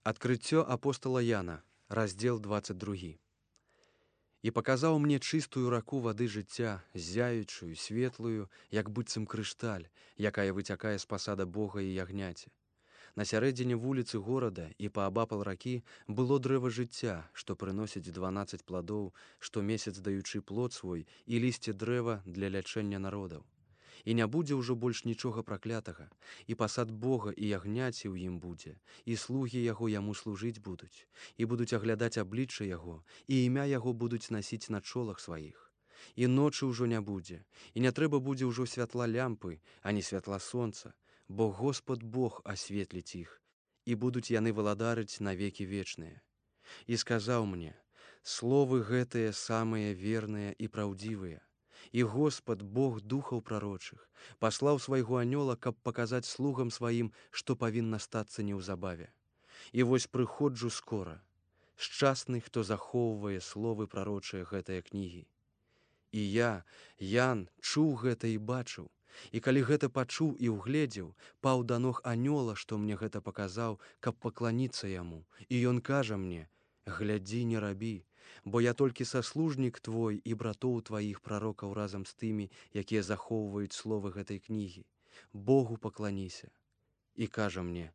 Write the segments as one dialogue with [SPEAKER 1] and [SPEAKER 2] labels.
[SPEAKER 1] Адкрыццё апостала Яна, раздзел 22. «І паказаў мне чыстую раку вады жыцця, ззяючую, светлую, як быццам крышталь, якая выцякае з пасада Бога і ягняці. На сярэдзіне вуліцы горада і паабапал ракі было дрэва жыцця, што прыносіць 12 пладоў, штомесяц даючы плод свой, і лісце дрэва для лячэння народаў. І не будзе ўжо больш нічога праклятага, і пасад Бога і ягняці ў ім будзе, і слугі яго яму служыць будуць, і будуць аглядаць аблічча яго, і імя яго будуць насіць на чолах сваіх. І ночы ўжо не будзе, і не трэба будзе ўжо святла лямпы, ані святла сонца, бо Господ Бог асветліць іх, і будуць яны валадарыць навекі вечныя. І сказаў мне: словы гэтыя самыя верныя і праўдзівыя. І Господ, Бог духаў прарочых, паслаў свайго анёла, каб паказаць слугам сваім, што павінна стацца неўзабаве. І вось прыходжу скора. Шчасны, хто захоўвае словы прарочыя гэтыя кнігі. І я, Ян, чуў гэта і бачыў, і калі гэта пачуў і ўгледзеў, паў да ног анёла, што мне гэта паказаў, каб пакланіцца яму, і ён кажа мне: глядзі, не рабі, бо я толькі саслужнік твой і братоў тваіх прарокаў разам з тымі, якія захоўваюць словы гэтай кнігі. Богу пакланіся. І кажа мне: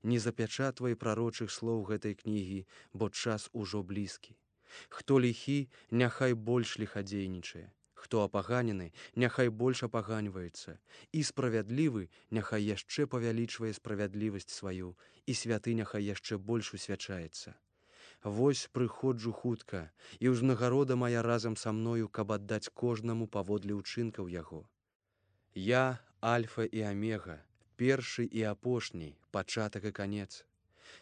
[SPEAKER 1] не запячатвай прарочых слоў гэтай кнігі, бо час ужо блізкі. Хто ліхі, няхай больш ліхадзейнічае, хто апаганены, няхай больш апаганьваецца, і справядлівы няхай яшчэ павялічвае справядлівасць сваю, і святы няхай яшчэ больш усвячаецца. Вось прыходжу хутка, і ўзнагарода мая разам са мною, каб аддаць кожнаму паводле ўчынкаў яго. Я Альфа і Омега, першы і апошні, пачатак і канец.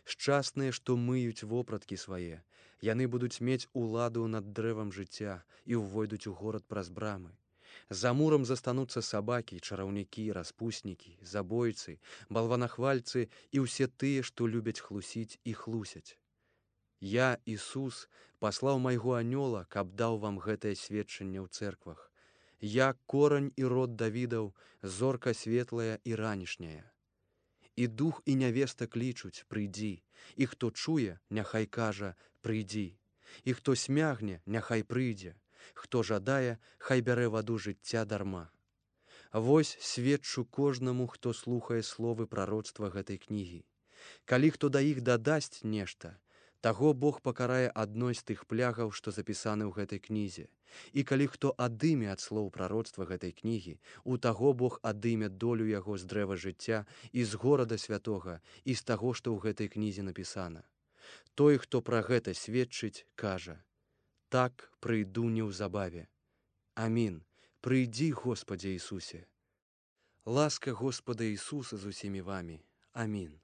[SPEAKER 1] Шчасныя, што мыюць вопраткі свае, яны будуць мець уладу над дрэвам жыцця і ўвойдуць у горад праз брамы. За мурам застануцца сабакі, чараўнікі, распуснікі, забойцы, балванахвальцы і ўсе тыя, што любяць хлусіць і хлусяць. Я, Ісус, паслаў майго анёла, каб даў вам гэтае сведчанне ў цэрквах. Я корань і род Давідаў, зорка светлая і ранішняя. І дух і нявеста клічуць: прыйдзі, і хто чуе, няхай кажа: прыйдзі, і хто смягне, няхай прыйдзе, хто жадае, хай бярэ ваду жыцця дарма. Вось сведчу кожнаму, хто слухае словы прароцтва гэтай кнігі. Калі хто да іх дадасць нешта, таго Бог пакарае адной з тых плягаў, што запісаны ў гэтай кнізе. І калі хто адыме ад слоў прароцтва гэтай кнігі, у таго Бог адыме долю яго з дрэва жыцця і з горада святога, і з таго, што ў гэтай кнізе напісана. Той, хто пра гэта сведчыць, кажа: так прыйду неўзабаве. Амін. Прыйдзі, Господзе Ісусе. Ласка Господа Ісуса з усімі вамі. Амін.